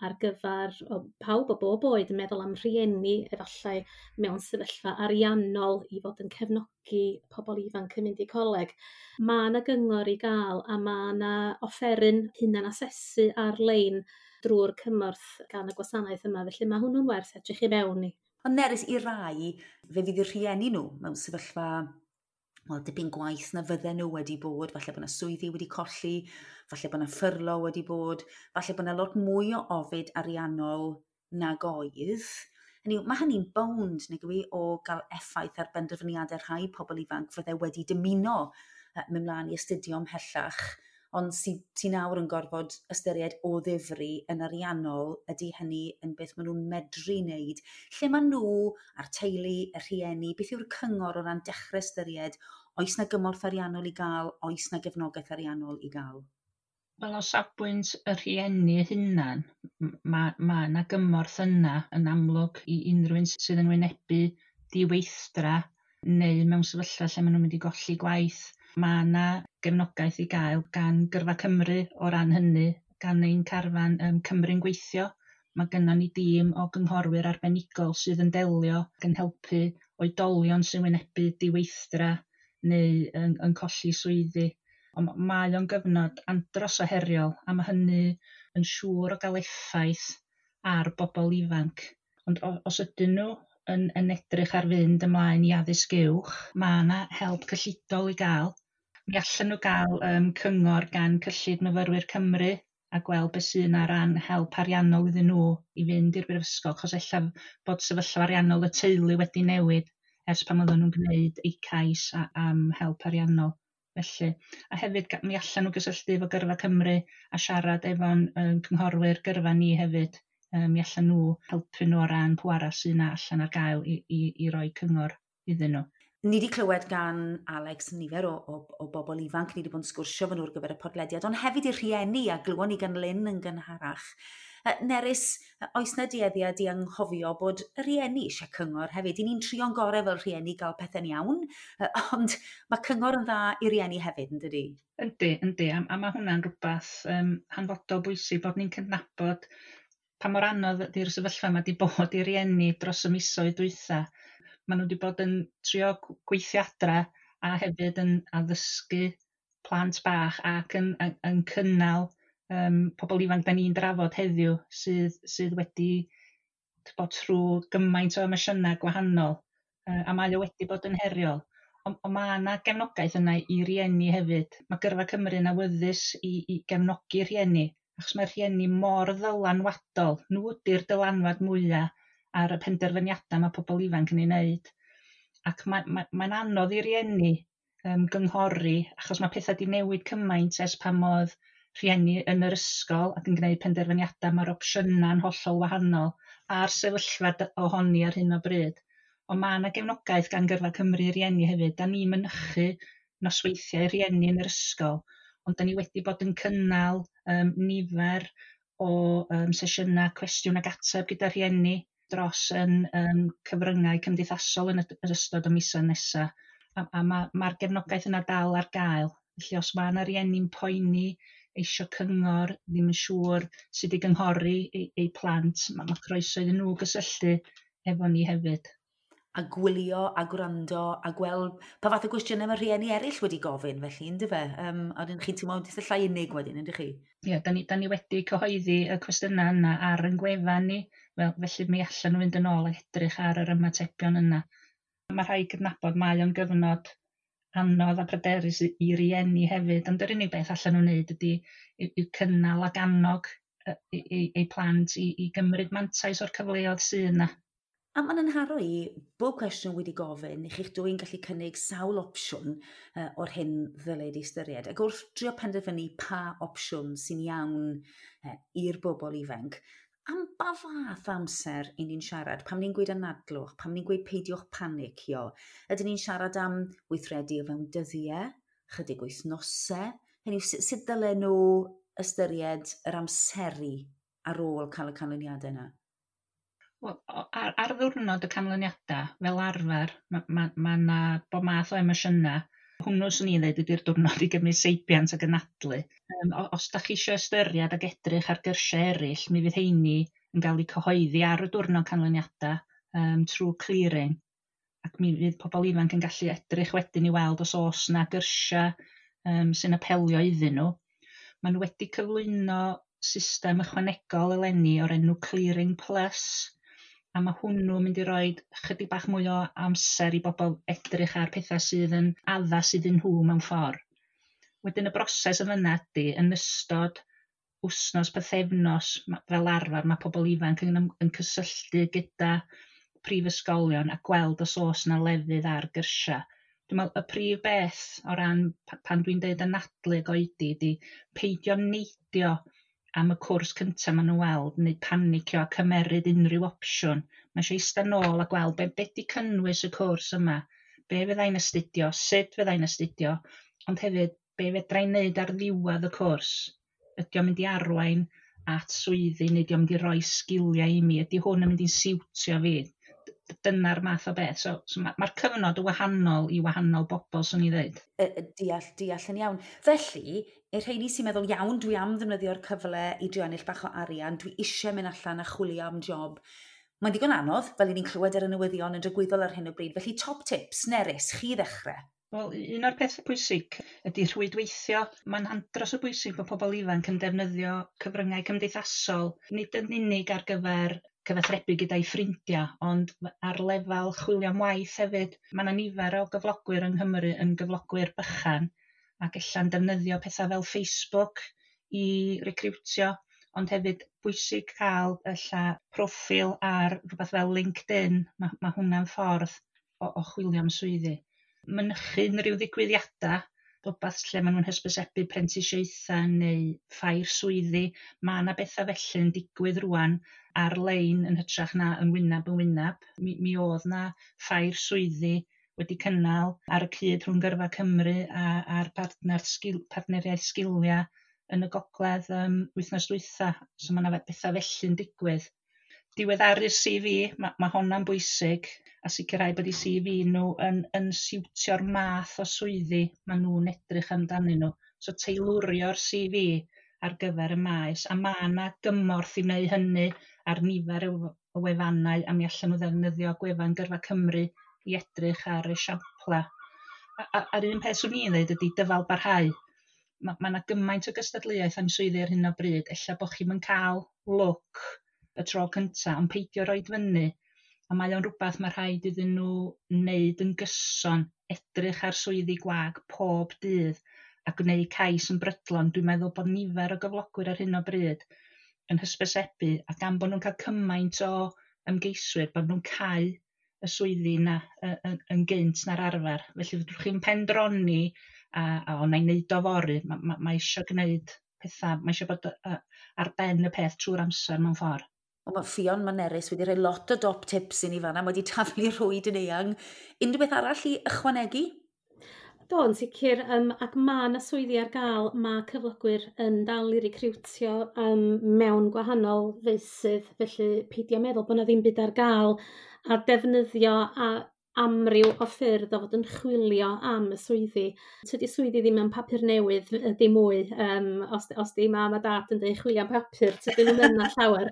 ar gyfer pawb o bob oed, yn meddwl am rhieni efallai mewn sefyllfa ariannol i fod yn cefnogi pobl ifanc yn mynd i coleg. Mae yna gyngor i gael a mae yna offeryn hunan-asesu ar-lein drwy'r cymorth gan y gwasanaeth yma, felly mae hwnnw'n werth edrych i mewn i. Ond Nerys, i rai, fe fydd y rhieni nhw mewn sefyllfa wel, dipyn gwaith na fydden nhw wedi bod, falle bod yna swyddi wedi colli, falle bod yna ffyrlo wedi bod, falle bod yna lot mwy o ofid ariannol nag oedd. Hynny yw, mae hynny'n bownd, nag yw i, o gael effaith ar benderfyniadau rhai pobl ifanc fydde wedi dymuno mynd mlaen i astudio ymhellach, ond sy nawr yn gorfod ystyried o ddifri yn ariannol, ydy hynny yn beth maen nhw'n medru wneud. Lle maen nhw a'r teulu, y rhieni, beth yw'r cyngor o ran dechrau ystyried, oes na gymorth ariannol i gael, oes na gefnogaeth ariannol i gael? Wel, o safbwynt y rhieni hunan, mae yna gymorth yna yn amlwg i unrhyw un sydd yn wynebu diweithdra neu mewn sefyllfa lle maen nhw'n mynd i golli gwaith. Mae yna gefnogaeth i gael gan Gyrfa Cymru o ran hynny, gan ein carfan Cymru'n Gweithio. Mae gynnon ni dîm o gynghorwyr arbenigol sydd yn delio ac yn helpu oedolion sy'n wynebu diweithdra neu yn colli swyddi. Ond mae o'n gyfnod andros o heriol a mae hynny yn siŵr o gael effaith ar bobl ifanc. Ond os ydyn nhw yn edrych ar fynd ymlaen i addysg uwch, mae yna help cyllidol i gael. Mi allan nhw gael cyngor gan Cyllid Myfyrwyr Cymru a gweld beth sydd yna ran help ariannol iddyn nhw i fynd i'r brifysgol, achos ella bod sefyllfa ariannol y teulu wedi newid ers pan oedden nhw'n gwneud eu cais am help ariannol. Felly, a hefyd mi allan nhw gysylltu efo Gyrfa Cymru a siarad efo'n cynghorwyr gyrfa ni hefyd. Mi allan nhw helpu nhw o ran pw arall sydd yna allan ar gael i roi cyngor iddyn nhw. Ni wedi clywed gan Alex nifer o bobl ifanc, ni wedi bod yn sgwrsio fo nhw ar gyfer y podlediad, ond hefyd i'r rhieni a glywon ni gan Lynn yn gynharach. Nerys, oes na dueddiad i anghofio bod y rhieni eisiau cyngor hefyd? I ni'n trio'n gorau fel rhieni gael pethau'n iawn, ond mae cyngor yn dda i rieni hefyd, yn dydi? Yndi, yndi, a mae hwnna'n rhywbeth hanfodol bwysig bod ni'n cydnabod pa mor anodd ydy'r sefyllfa yma wedi bod i rieni dros y misoedd dwytha. Maen nhw wedi bod yn trio gweithio adra a hefyd yn addysgu plant bach ac yn cynnal pobl ifanc da ni'n drafod heddiw sydd wedi bod trwy gymaint o emosiynau gwahanol, a mae o wedi bod yn heriol. Ond mae yna gefnogaeth yna i rieni hefyd. Mae Gyrfa Cymru yn awyddus i gefnogi rhieni, achos mae rhieni mor ddylanwadol. Nhw ydy'r dylanwad mwyaf ar y penderfyniadau mae pobl ifanc yn ei wneud. Ac mae'n anodd i rieni gynghori, achos mae pethau wedi newid cymaint ers pan oedd rhieni yn yr ysgol ac yn gwneud penderfyniadau, mae'r opsiynau'n hollol wahanol a'r sefyllfa ohoni ar hyn o bryd. Ond mae yna gefnogaeth gan Gyrfa Cymru i rieni hefyd. Da ni'n mynychu nosweithiau rieni yn yr ysgol, ond da ni wedi bod yn cynnal nifer o sesiynau cwestiwn ac ateb gyda rhieni dros yn cyfryngau cymdeithasol yn yr ystod y misoedd nesaf. A mae'r gefnogaeth yna dal ar gael. Felly os mae yna rieni'n poeni, eisio cyngor, ddim yn siŵr sut i gynghori eu plant, mae croeso iddyn nhw gysylltu efo ni hefyd. A gwylio a gwrando a gweld pa fath o gwestiynau mae rhieni eraill wedi gofyn, felly, ynddo fe? A dyn chi'n teimlo eitha llai unig wedyn, yndych chi? Ie, da ni wedi cyhoeddi y cwestiynau yna ar ein gwefan ni, felly mi allan nhw fynd yn ôl ac edrych ar yr ymatebion yna. Mae rhaid cydnabod mae o'n gyfnod anodd a pryderus i rieni hefyd, ond yr unig beth allan nhw'n wneud ydy i'w cynnal ac annog eu plant i gymryd mantais o'r cyfleoedd sydd yna. A mae'n anharo i, bob cwestiwn wedi gofyn, i chi'ch dwy'n gallu cynnig sawl opsiwn o'r hyn ddylid ei ystyried. Ac wrth drio penderfynu pa opsiwn sy'n iawn i'r bobl ifanc, am ba fath amser i ni'n siarad? Pam ni'n gweud anadlwch, pam ni'n gweud peidiwch panicio? Ydyn ni'n siarad am weithredu o fewn dyddiau, chydig wythnosau? Hynny yw, sut dylen nhw ystyried yr amseru? ar ôl cael y canlyniadau yna? Wel, ar ddiwrnod y canlyniadau, fel arfer, mae ma, ma 'na bob math o emosiynau. Hwnnw swn i'n dweud ydy'r diwrnod i gymryd seibiant ac anadlu. Os da chi eisiau ystyried ac edrych ar gyrsiau eraill, mi fydd heini yn cael eu cyhoeddi ar y diwrnod canlyniadau trwy Clearing. Ac mi fydd pobl ifanc yn gallu edrych wedyn i weld os oes 'na gyrsiau sy'n apelio iddyn nhw. Maen nhw wedi cyflwyno system ychwanegol eleni o'r enw Clearing Plus, a mae hwnnw yn mynd i roi chydig bach mwy o amser i bobl edrych ar pethau sydd yn addas iddyn nhw mewn ffordd. Wedyn y broses yn fyna ydy, yn ystod wsnos, pythefnos, fel arfer mae pobl ifanc yn cysylltu gyda prifysgolion a gweld os oes 'na lefydd ar gyrsiau. Dwi'n meddwl y prif beth o ran pan dwi'n deud anadlu ag oedi ydy peidio neidio am y cwrs cyntaf maen nhw'n weld neu panicio a cymeryd unrhyw opsiwn. Mae eisiau eistedd nôl a gweld be 'di cynnwys y cwrs yma, be fyddai'n astudio, sut fyddai'n astudio, ond hefyd be fedra i wneud ar ddiwedd y cwrs. Ydy o'n mynd i arwain at swyddi neu ydy o'n mynd i roi sgiliau i mi? Ydy hwn yn mynd i'n siwtio fi? Dyna'r math o beth. So mae'r cyfnod yn wahanol i wahanol bobl, swn i ddweud. Deall yn iawn. Felly, i'r rheini sy'n meddwl, iawn, dwi am ddefnyddio'r cyfle i drio ennill bach o arian, dwi eisiau mynd allan a chwilio am job. Mae'n ddigon anodd, fel i ni'n clywed ar y newyddion yn dragwyddol ar hyn o bryd. Felly, top tips, Nerys, chi ddechrau. Wel, un o'r pethau pwysig ydy rhwydweithio. Mae'n andros o bwysig bod pobl ifanc yn defnyddio cyfryngau cymdeithasol, nid yn unig ar gyfer cyfathrebu gyda'i ffrindiau, ond ar lefel chwilio am waith hefyd. Mae yna nifer o gyflogwyr yng Nghymru yn gyflogwyr bychan ac ella'n defnyddio pethau fel Facebook i recriwtio, ond hefyd bwysig cael ella proffil ar rhywbeth fel LinkedIn. Mae hwnna'n ffordd o chwilio am swyddi. Mynychu unrhyw ddigwyddiadau, rhywbeth lle maen nhw'n hysbysebu prentisiaethau neu ffair swyddi. Mae yna bethau felly yn digwydd rwan ar-lein yn hytrach na yn wyneb yn wyneb. Mi oedd na ffair swyddi wedi cynnal ar y cyd rhwng Gyrfa Cymru a'r partneriaeth sgiliau yn y gogledd wythnos dwytha. So mae yna bethau felly'n digwydd. Diweddaru'r CV, mae honna'n bwysig, a sicrhau bod eu CV nhw yn siwtio'r math o swyddi maen nhw'n edrych amdanyn nhw. So teilwrio'r CV ar gyfer y maes, a mae yna gymorth i wneud hynny ar nifer o wefannau, a mi allan nhw ddefnyddio gwefan Gyrfa Cymru i edrych ar esiamplau. A'r un peth swn i'n dweud ydy dyfal barhau. Mae yna gymaint o gystadleuaeth am swyddi ar hyn o bryd, ella bod chi'm yn cael lwc y tro cyntaf, ond peidio roid fyny. A mae o'n rhywbeth mae rhaid iddyn nhw wneud yn gyson, edrych ar swyddi gwag pob dydd a gwneud cais yn brydlon. Dwi'n meddwl bod nifer o gyflogwyr ar hyn o bryd yn hysbysebu, a gan bod nhw'n cael cymaint o ymgeiswyr, bod nhw'n cau y swyddi yna yn gynt na'r arfer. Felly fedrwch chi'n pendroni a o, na i wneud o fory. Mae eisiau gwneud pethau, mae eisiau bod ar ben y peth trwy'r amser mewn ffordd. O, mae Ffion, mae Nerys wedi rhoi lot o dop tips i ni fanna, mae wedi taflu rhwyd yn eang. Unrhyw beth arall i ychwanegu? Do, yn sicr, ac mae yna swyddi ar gael, mae cyflogwyr yn dal i recriwtio mewn gwahanol feysydd, felly peidio meddwl bod yna ddim byd ar gael, a defnyddio a amryw o ffyrdd o fod yn chwilio am y swyddi. Tydi swyddi ddim yn papur newydd dim mwy, os di mam a dad yn dweud chwilio am papur, tydyn nhw'n yna llawer.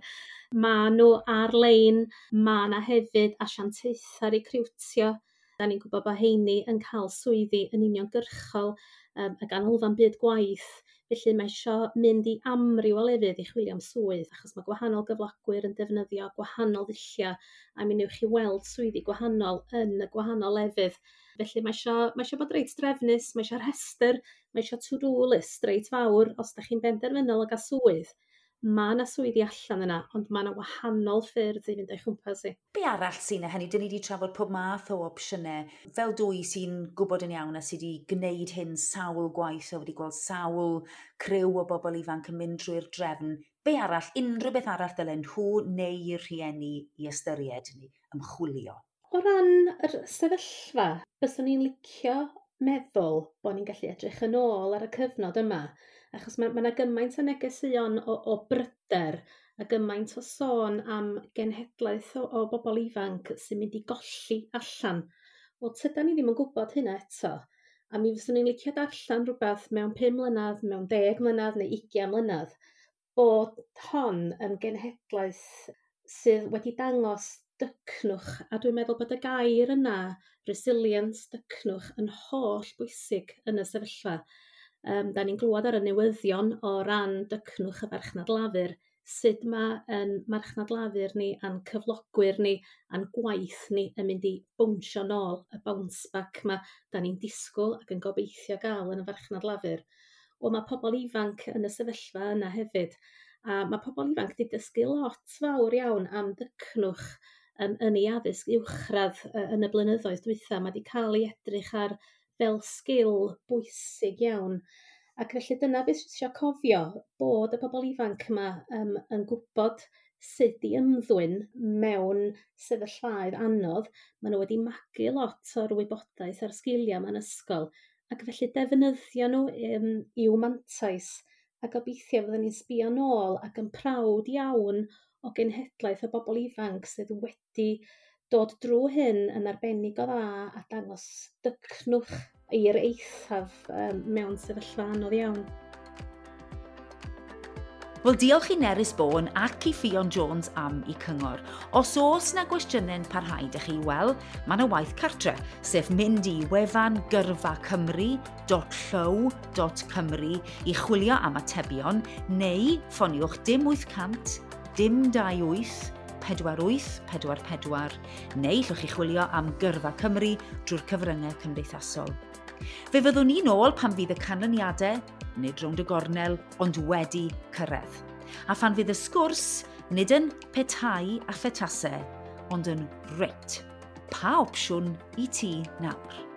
Mae nhw ar-lein, mae yna hefyd asiantaethau recriwtio. Da ni'n gwybod bod heini yn cael swyddi yn uniongyrchol, y ganolfan byd gwaith. Felly mae isio mynd i amryw o lefydd i chwilio am swydd, achos mae gwahanol gyflogwyr yn defnyddio gwahanol ddulliau, a mi newch chi weld swyddi gwahanol yn y gwahanol lefydd. Felly mae isio bod reit drefnus, mae isio rhestr, mae isio to-do list reit fawr os da chi'n benderfynol o gael swydd. Mae yna swyddi allan yna, ond mae yna wahanol ffyrdd i fynd o'i chwmpas i. Be arall sy'n hynny? Dyn ni wedi trafod pob math o opsiynau. Fel dwy sy'n gwybod yn iawn a sydd wedi gwneud hyn sawl gwaith a wedi gweld sawl criw o bobl ifanc yn mynd drwy'r drefn. Be arall, unrhyw beth arall dylen nhw neu'r rhieni i ystyried neu ymchwilio? O ran yr sefyllfa, byswn i'n licio meddwl bod ni'n gallu edrych yn ôl ar y cyfnod yma, achos mae yna gymaint o negeseuon o bryder A gymaint o sôn am genhedlaeth o bobl ifanc sy'n mynd i golli allan. Wel, tydan ni ddim yn gwybod hynna eto. A mi fyswn i'n licio darllen rhywbeth mewn 5 mlynedd, mewn 10 mlynedd neu 20 mlynedd, bod hon yn genhedlaeth sydd wedi dangos dycnwch, a dwi'n meddwl bod y gair yna, resilience, dycnwch, yn holl bwysig yn y sefyllfa. Da ni'n glywed ar y newyddion o ran dycnwch y farchnad lafur, sut mae yn marchnad lafur ni a'n cyflogwyr ni a'n gwaith ni yn mynd i bownsio nôl, y bounce back ma da ni'n disgwyl ac yn gobeithio gael yn y farchnad lafur. Wel, mae pobl ifanc yn y sefyllfa yna hefyd, a mae pobl ifanc wedi dysgu lot fawr iawn am ddycnwch yn ei addysg uwchradd yn y blynyddoedd dwytha. Mae wedi cael ei edrych ar fel sgil bwysig iawn. Ac felly dyna beth sydd eisiau cofio, bod y bobl ifanc yma yn gwybod sut i ymddwyn mewn sefyllfaoedd anodd. Maen nhw wedi magu lot o'r wybodaeth a'r sgiliau mewn ysgol, ac felly defnyddio nhw i'w mantais, a gobeithio fyddwn ni'n sbio nôl ac yn prawd iawn o genhedlaeth o bobl ifanc sydd wedi dod drwy hyn yn arbennig o dda a dangos dycnwch i'r eithaf mewn sefyllfa anodd iawn. Wel, diolch i Nerys Bowen ac i Ffion Jones am eu cyngor. Os oes na gwestiynau'n parhau ydych chi, wel, mae yna waith cartre, sef mynd i wefan gyrfacymru.llyw.cymru i chwilio am atebion, neu ffoniwch dim 800 dim 28 48 44, neu llwch chi chwilio am Gyrfa Cymru drwy'r cyfryngau cymdeithasol. Fe fyddwn ni nôl pan fydd y canlyniadau, nid rownd y gornel, ond wedi cyrraedd. A phan fydd y sgwrs, nid yn petai a phetasau, ond yn reit. Pa opsiwn i ti nawr?